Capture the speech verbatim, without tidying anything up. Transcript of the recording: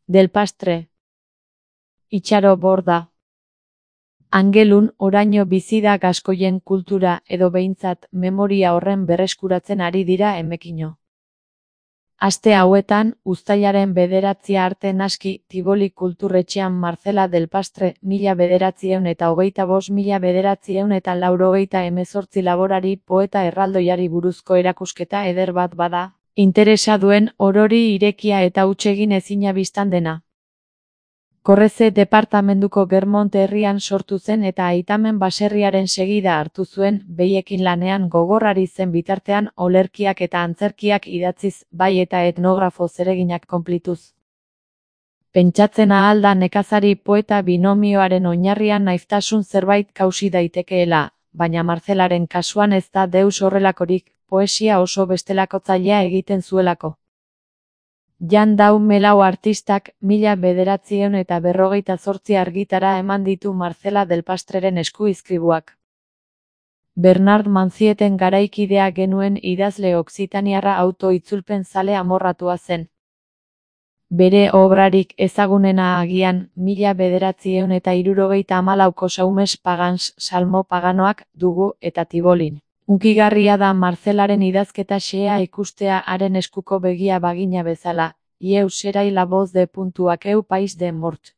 Del Pastre. Itxaro Borda. Angelun oraino bizi da gaskoien kultura edo behintzat memoria horren berreskuratzen ari dira emekino. Aste hauetan, uztailaren bederatzia arte naski Tivoli kulturretxean Marcela Del Pastre mila bederatzieun eta hogeita bost mila bederatzieun eta laurogeita hemezortzi laborari poeta erraldoiari buruzko erakusketa eder bat bada, interesa duen orori irekia eta hutsegin ezina bistan dena. Korreze departamentuko Germont herrian sortu zen eta aitamen baserriaren segida hartu zuen, behiekin lanean gogorrari zen bitartean olerkiak eta antzerkiak idatziz, bai eta etnografo zereginak konplituz. Pentsatzen ahal da nekazari poeta binomioaren oinarrian naiztasun zerbait kausi daitekeela, baina Marcelaren kasuan ez da deus horrelakorik, poesia oso bestelakotzailea egiten zuelako. Jan Dau Melau artistak mila bederatzieun eta berrogeita zortzi argitara eman ditu Marcela Del Pastreren eskuizkribuak. Bernard Manzieten garaikidea genuen idazle oksitaniarra auto-itzulpen zale amorratua zen. Bere obrarik ezagunena agian, mila bederatzieun eta hirurogeita hamalauko Saumes Pagans Salmo Paganoak dugu eta Tibolin. Hunkigarria da Marcelaren idazketa xehea ikustea haren eskuko begia bagina bezala, ieu serai la voz de puntuak eu pais de mort.